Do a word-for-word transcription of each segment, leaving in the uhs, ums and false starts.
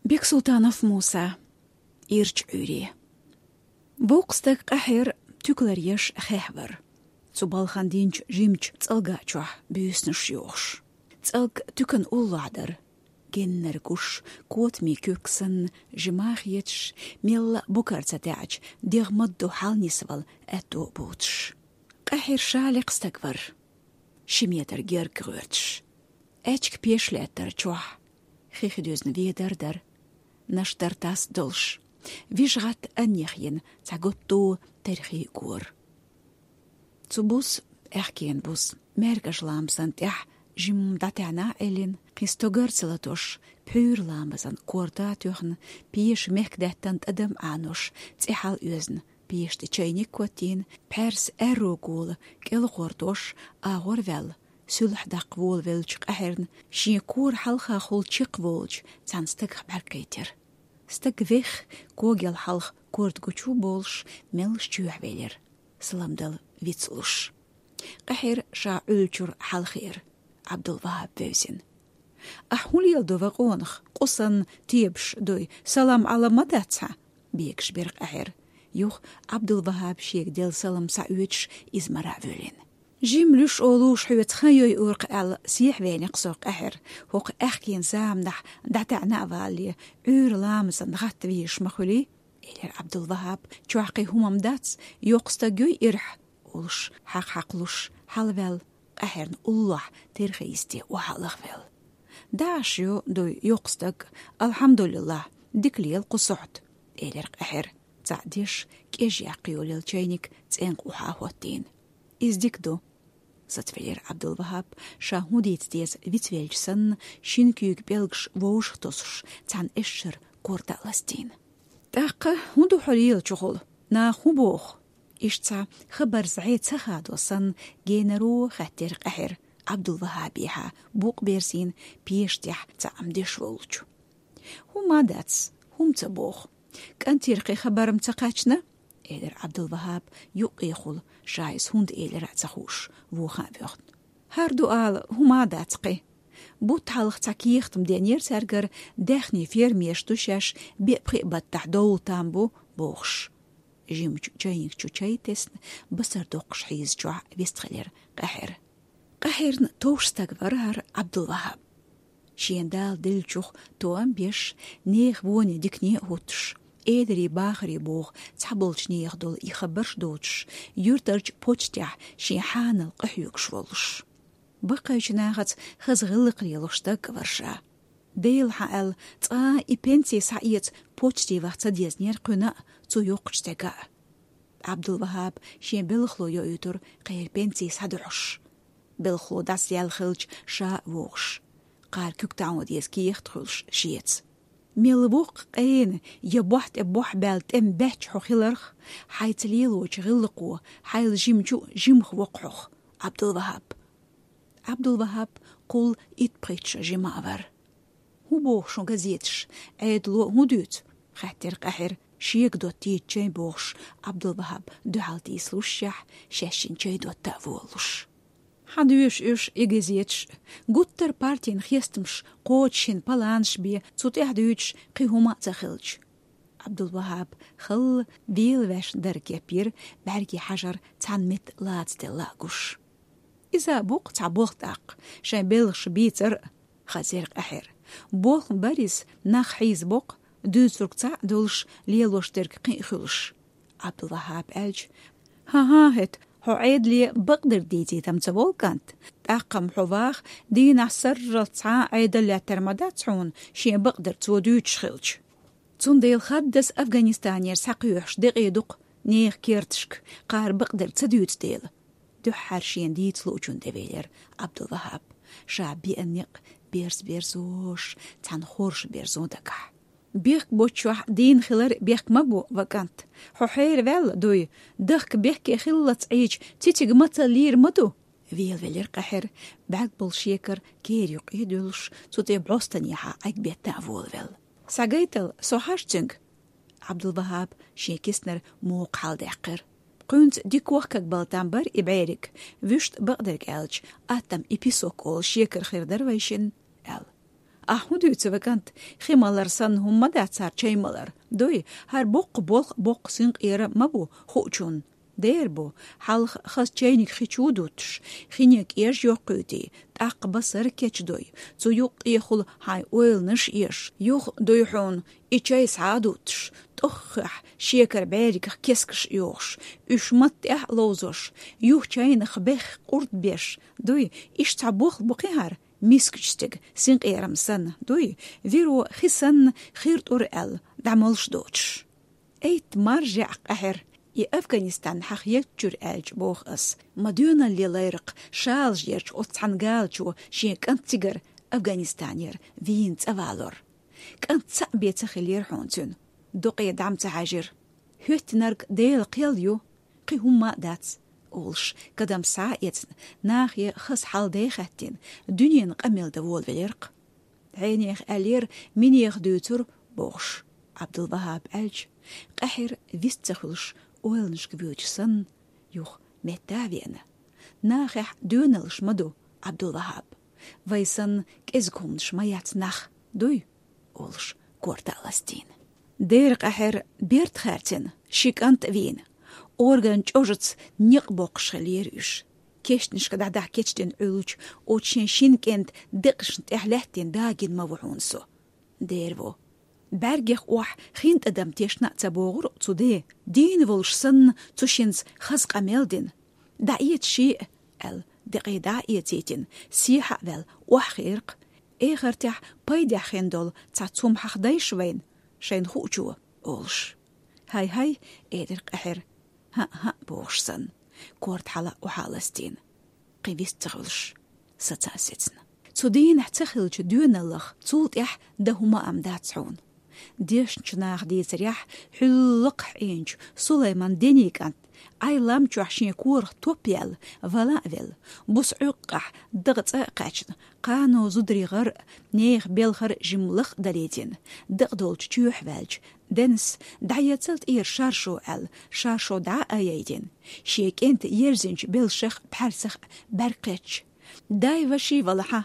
Бексултанов Муса. Ирчу Ӏуьйре. Боккха стаг къахьера туькалар еш хехь вара. Цу балхана динчу жимачу цӀалга чохь буьйсанаш йохуш. ЦӀалг туькана уллохь дара. Геннара гуш, котамийн куьрг санна, жима хеташ, мелла а букар ца таьӀча, дегӀ мадду хьалнисвала аьтто а буцуш. Къахьера ша лекха стаг вара. Ши метр герга гӀоьрташ. Аьчка пеш лаьттара чохь. Хих дуьзна ведар дара. Наш дара тас долуш. Вижа гӀатта аннех йина цхьа готто терхий гора. Цу бус, аьхкенан бус, маьргаш ламазан тӀехь жимма дӀатаьӀна Ӏеллина, кхин стогар ца латош, пхьуьйра ламазан корта а тоьхна, пеша мехкдаьттан тӀадам Ӏанош, цӀе хьал оьзна, пеша тӀе чайник коттийна, пхьаьрса аьрру гола кӀел гӀортош, агӀор ваьлла, суьлхьа даккха волавеллачу къахьерна, шен кора хьалхахула чекхволчу цхьана стагах бӀаьрг кхийтира. Стаг вех, когел хьалха корта гучу болуш, меллаш чоьхьа велира, салам дала вицлуш. Къахьер ша Ӏуьллучуьра хьалхара, Ӏабдул-ВахӀаб вевзина. «Ахь хӀун леладо, ва къонах, къу санна тебаш дуй, салам-Ӏалам ма дац хьан?» — бегаш бира къахьер. Юха Ӏабдул-ВахӀаб шега делла салам схьаоьцуш, иза мара а воьллина. «Жима луьш олуш хьоьца хан йойур-кх аьлла, сехьа веанехь со, къахьер, хӀокху аьхкенан заманахь дӀатаьӀна а валале, Ӏуьйра ламазан гӀатта везаш ма хуьлий», — элира Ӏабдул-ВахӀаб. «Чохь кхин хӀума-м дац, йоккха стаг юй ирахь», — олуш, хьакха хьакхалуш, хьалаваьлла, къахьерна уллохь терхий йисте охьа а лахвелла. «ДӀа Ӏаш ю, дуй, йоккха стаг, алхьамдулиллахӀ, дика лела кху сохьта», — элира къахьер, цхьаъ деш, кӀежъяккха йолаелла чайник цӀенкъа охьа а хӀоттийна. «Иза дика ду», — сацвелира Ӏабдул-ВахӀаб, ша хӀун дийца деза вицвелча санна, шина куьйга пӀелгаш вовшах тосуш, цхьана эшшара корта а ластийна. «ТӀаккха хӀун ду хьо лелачухула? Наха хӀун боху?» Иштта цхьа хабарца зӀе ца хадо санна, генаро хаьттира къахьера, Ӏабдул-ВахӀабехьа букъ берзийна, пеша тӀехь цхьаъ-м деш волчу. «ХӀума а дац, хӀума ца боху. КӀантера кхин хабар-м ца кхаьчна?» — элира Ӏабдул-ВахӀаб юккъехула, ша иза хӀунда элира а ца хууш, вуха а воьхна. «ХӀара ду ала, хӀума а дац кхин. Бутт хьалха цхьа кехат-м денера цаьргара, даьхний фермерш ду шаьш, беа-пхиъ баттахь довла там бу», — бохуш. Жимачу чайник чу чай тесна, басар доккхуш хьийзачохь вистхилира къахьера. Къахьерна товш стаг вара хӀара Ӏабдул-ВахӀаб. Шен Дала деллачух тоам беш, нехан воне дикане а хӀуттуш, эдари бахари боху цхьаболчу нехан долу и хабарш доцуш, юьртарчу почтехь шен хьанал къахьоьгуш волуш. Баккхийчу нахаца хаза гӀиллакх лелош стаг вара ша. Делахь аьлла, цкъа а и пенси схьаэца почте ваха ца дезнера кхуьнан а, цу йоккхачу стеган а. Ӏабдул-ВахӀаб шен белхало йоуьйтура кхеран пенси схьадохьуш. Белхало дӀасаяьлла хилча, ша а вогӀуш. Кхара куьг таӀо деза кехат хуьлуш шеца. Мел воккха къена я бохь тӀе бохь баьлла тӀеман баьчча хьо хиларх, хьайца лелочу гӀиллакхо, хьайла жимчу а жимах воккху хьох, Ӏабдул-ВахӀаб. Ӏабдул-ВахӀаб кхул итт-пхийтта шо жима а вара. «ХӀун боху шун газеташ? Ӏедало хӀун дуьйцу?» — хаьттира къахьера, шега доттийта чай бохуш, Ӏабдул-ВахӀаб дуьхьал тийсалушшехь, шаьшшинна чай дотта а волалуш. «Хьан доьшу уьш и газеташ? Гуттар партин хестамаш кхочушшина паланаш бен, цу тӀехь дуьйцуш кхин хӀума а ца хилча». Ӏабдул-ВахӀаб халла велаваьшна дара кепйира, бӀаьрге хьажар цхьана метта лацаделла а гуш. «Иза а бу-кх цхьа болх тӀаккха, шайн белхаш бийцар а», — хазира къахьера. «Болх-м бара иза, нах хьийзабо-кх, дуьйцург цхьаъ долуш, лелош дерг кхин а хуьлуш». Ӏабдул-ВахӀаб аьлча: «ХӀан-хӀа, хӀета, хьо Ӏедале бакъдерг дийцийта-м ца волу, кӀант? ТӀаккха-м хьо ваха, дийнахь сарралц цхьа а Ӏедал лаьттар ма дац хьуна, шен бакъдерг цо дуьйцуш хилча. Цундела хаддаза Афганистанера схьакхоьхьуш декъий ду-кх нехан керташка, кхара бакъдерг ца дуьйцу дела». Дуьххьара шена дийца луучунна тӀевелира Ӏабдул-ВахӀаб, ша беана некъ берз-берзош, цхьана хорша берзо дагахь. «Бехк боцчохь дийна хилар бехк ма бу, ва кӀант. Хьо хьераваьлла дуй, дахка бехке хиллалц Ӏийча, цициг мацалла лийр ма ду», — велавелира къахьера, бӀаьрг болу шекара кера юккъе а дуьллуш, цу тӀе бӀостанехьа Ӏегбетта а волавелла. «Схьагайтал, со хьажа цуьнга». Ӏабдул-ВахӀаб шен киснара мокха хьаладаьккхира. «Кхуьнца дика вохкаг бала там бара и бӀериг, вуьшта бакъдерг аьлча, аттам и песок олу шекара хир дара вайшинна», — аьлла. Ахь хӀун дуьйцу, ва кӀант, хи малар санна хӀума ма дац хӀара чай малар. Дуй, хӀара боккха болх боккха синкъера ма бу хуучун. Дера бу, хьалха хаза чайниг хи чу дуттуш, хинега кӀеш йоккхуьйтий, тӀаккха басар кечдой, цу юккъехула хьайн ойланаш еш, юха дуй хьуна и чай схьа а дуттуш, тӀоххехь шекар бӀеригах кескаш йохуш, уьш матта тӀехь а ловзош, юха чайнах бехк къурд беш, дуй, иштта цхьа болх бу кхин хӀара, мискачу стеган синкъерам санна, дуй, виро хи санна хир тӀур аьлла, дӀамалш доцуш. Эйтта маржа яӀ къаьхьира, и Афганистан хьаха еттачуьра аьлча боху ас, ма доьналле лайракх шалажа ерчу оцу цхьана галачо шен кӀант цигара Афганистанера вийна цӀа валор. КӀант цхьаъ бен ца хиллера хьуна цуьнан, дукъе дӀа ма ца хьаьжира. ХӀоьттинарг Делан кхел ю, кхин хӀумма а дац, олуш, кадам схьа а эцна, нахе хаза хьал-де хаьттина, дуьненан къамел дан волавелира-кх. Хьенех аьллера, минех дуьйцура, бохуш, Ӏабдул-ВахӀаб аьлча, къаьхьира вист ца хуьлуш, ойланашка вуьйлча санна, юха метта а веана. Нахехь доьналлаш ма ду, Ӏабдул-ВахӀаб. Вай санна кӀезиг хӀуманаш ма яц нах, дуй? Олуш, корта а ластийна. Дера къаьхьира берд хаьрцина, ши кӀант а вийна. Орган чӀожаца некъ боккхуш хиллера уьш. Кешнашка дӀадахьа кечдина Ӏуьллучу оцу шен шина кӀентан декъашна тӀехь лаьттина дагийна ма ву хьуна со. Дера ву. БӀаьргех охьа хин тӀадам тешна а ца богӀура цу де, дийна волуш санна, цу шинца хаза къамел дина. ДӀаэца шиъ, аьлла, декъий дӀа а эцийтина, сехьа а ваьлла, охьахиира-кх. Эхартехь пайдехь хин долу цхьацца хӀума хьахдайша вайна, шайна хуучо, олуш. ХӀай-хӀай, элира къаьхьира, хӀаъ-хӀаъ бохуш санна, корта хьала а охьа а ластийна, кхин вист ца хуьлуш, саца а сецна. Цу дийнахь ца хиллачу доьналлах цул тӀаьхьа дан хӀума а ма дац хьуна. Дешначу наха дийцарехь, хьуьллакхахь Ӏийначу Сулайман ден кӀант, Ӏай лам чохь шен корах топ яьлла, вала а велла, буса Ӏуьйкъахь дакъа цӀа а кхаьчна, кхано зударий гӀар а, нехан белхар а жимма лакха далийтина, дакъа долчу чоьхьа ваьлча, денас, дӀаэцал тӀера шаршо аьлла, шаршо дӀа а айайтина, шен кӀентан ерзинчу белшах а, пхьаьрсах а бӀаьрг кхетча, дай ваший валахьа,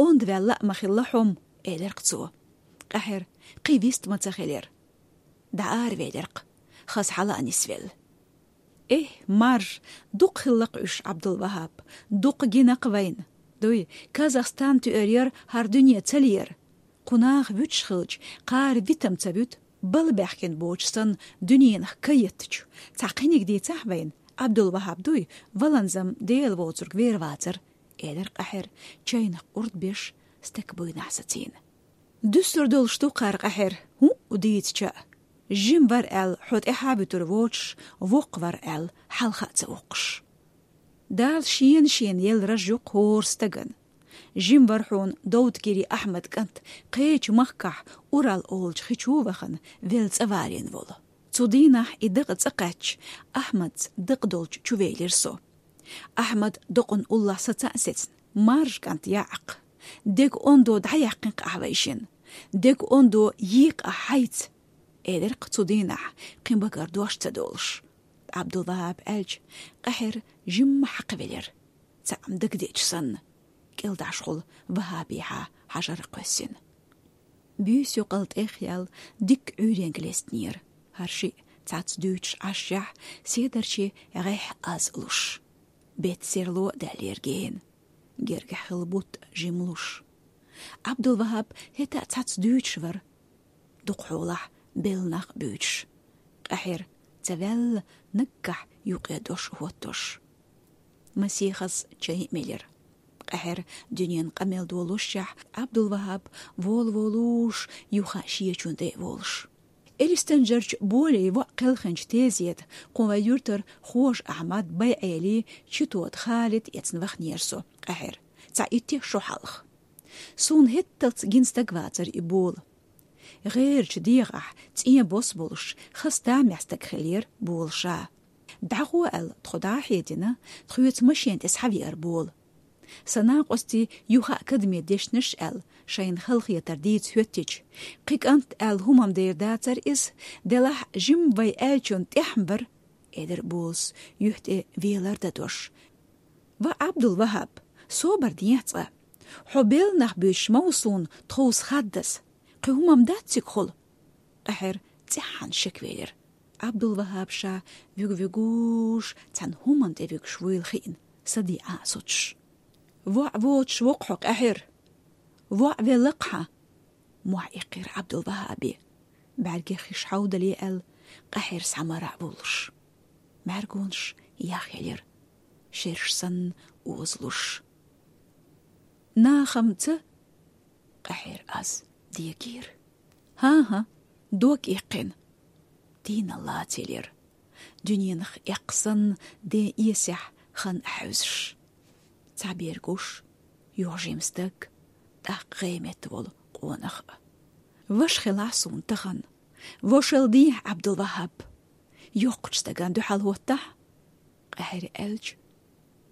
онда ваьлла а ма хилла хьо-м, элира-кх цо. Къаьхьира, кхин вист ма ца хилира. ДӀааравелира-кх, хаза хьала а нисвелла. Эхь, маржа, дукха хилла-кх уьш, Ӏабдул-ВахӀаб, дукха гина-кх вайна. Дуй, Казахстан туьар яра хӀара дуьне ца лера. Кху наха вуьтуш хилча, кхара витам ца вуьту, бала баьхкина боцуш санна дуьненах каеттачу. Цхьа кхиниг дийцахьа вайна, Ӏабдул-ВахӀаб дуй, валанзам Дела воцург вер вацара, элира къаьхьира, чайнах къурд беш, стаг буйнахь сацийна. Дуьсур долуш ду кхара къаьхьира, хӀуъу дийцича а. Жима вара аьлла, хьо тӀаьхьа вуьтур воцуш, воккха вара аьлла, хьалха а ца воккхуш. Дала шена-шена елла раж ю-кх хӀора стагана. Жима вара хьуна Довдгири Ахьмад кӀант, кхечу махкахь Урал олучу хи чу вахана, велла цӀа валийна волу. Цу дийнахь и дакъа цӀа кхаьчча, Ахьмадца дакъа долчу чувелира со. Ахьмад докъана уллохь саца а сецна, маржа кӀант яӀакх. Дега ондо дӀаяьккхина-кх ахь вайшинна. Дега ондо йийкъа ахь хьайца, элира-кх цу дийнахь, кхин багара дош ца долуш. Ӏабдул-ВахӀаб аьлча, къаьхьира жимма хьакхавелира. Цхьаъ-м дагадеъча санна, кӀелдӀашхула ВахӀабихьа хьажар кхоьссина. Буьйса юкъал тӀехъяьлла дикка Ӏуьйренга лестинера, хӀара шиъ цхьацца дуьйцуш Ӏашшехь, седарчий гӀехь аз луш. Беттан серло а даьллера гена, гергахь хилла бутт а жима луш. Ӏабдул-ВахӀаб хӀета а цхьацца дуьйцуш вара, дукха хьолахь белла нах а буьйцуш. Къаьхьира, ца ваьлла, наггахь юкъе дош а хӀоттош. Масехаза чай а мелира. Къаьхьира дуьненан къамел долушшехь, Ӏабдул-ВахӀаб волаволуш, юха шечун тӀе а волуш. Элистанжарчу Болей воӀ кхелхинчу тезета, кху вайн юьртара Хожа-Ахьмад, БайгӀели, Читота Халид эцна вахнера со, къаьхьира, цхьа итт шо хьалха. Суна хӀетталц гина стаг вацара и Бола. ГӀерачу дегӀахь цӀен бос болуш, хаза тамехь стаг хиллера Бола ша. ДӀагӀо аьлла, тхо дӀа а хьедина, тхоьца машен тӀе схьавеара Бола. Сан накъостий юха а кадаме дешнаш аьлла, шайна халахетар дийца хӀоьттича, кхин кӀант аьлла хӀума-м дер дацара иза, делахь жимма вай аьллачунна тӀехь-м бара, элира Болас, юьхь тӀе велар дадош. Ва Ӏабдул-ВахӀаб, собар дехьа цкъа. «Хьо белла нах буьйцуш ма ву суна тховса хаддаза. Кхин хӀумма дац цига хул?» Къахьер цӀеххьана шеквелира. Ӏабдул-ВахӀаб ша вуьгу-вуьгуш, цхьана хӀуманна тӀе вуьгуш вуйла хиъна, саде Ӏа а соцуш. «ВоӀ воцуш воккха хьо, Къахьер! ВоӀ велла-кх хьан!» — мохь иккхира Ӏабдул-ВахӀабе. БӀаьргех хиш хьовдале аьлла, Къахьер схьамара а вуллуш. БӀаьргонаш яхъелира, шераш санна озалуш. «Нахамца?» — Къахьер аз дегийра. «ХӀан-хӀа, дог иккхина». Дийна лацийла яра. Дуьненах эккха санна, ден эсехь хан хьаьвзаш. Цхьа бер гуш, юха жима стаг, тӀаккха гӀеметта волу къонах а. «Ваша хилахь суна тахана. Вошал дехьа, Ӏабдул-ВахӀаб. Йоккхачу стагана дуьхьал хӀоттахь». Къахьера аьлча,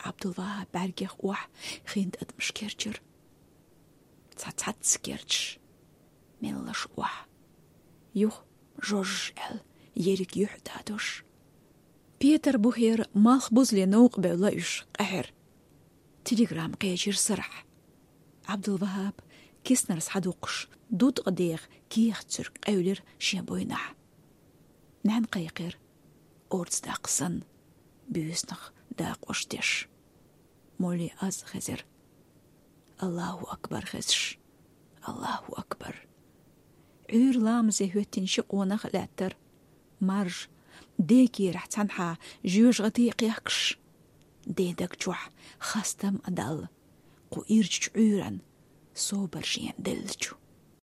Ӏабдул-ВахӀаб бӀаьргех охьа хин тӀадамаш керчира. Цхьа цхьацца керчаш, меллаша охьа. Юха жожж аьлла ерриг юьхь а дадош. Петарбухера малхбузале новкъа бевлла уьш, Къахьер. Телеграмма кхечира сарахь. Ӏабдул-ВахӀаб киснара схьадукхуш, дудкъа деха кехат-суьрг къевлира шен буйнахь. Нана кхайкхира, орца даккха санна, буьйсанах дакъош деш. Молли аз а хезира. АллахӀу акбар хезаш. АллахӀу акбар. Ӏуьйра ламазе хӀоьттина ши къонах а лаьттара. Маржа, декерахь цхьанхьа жоьжахати а кхехкаш. Ден даг чохь хастам а далла, кху ирчачу Ӏуьйранна собар шена деллачу.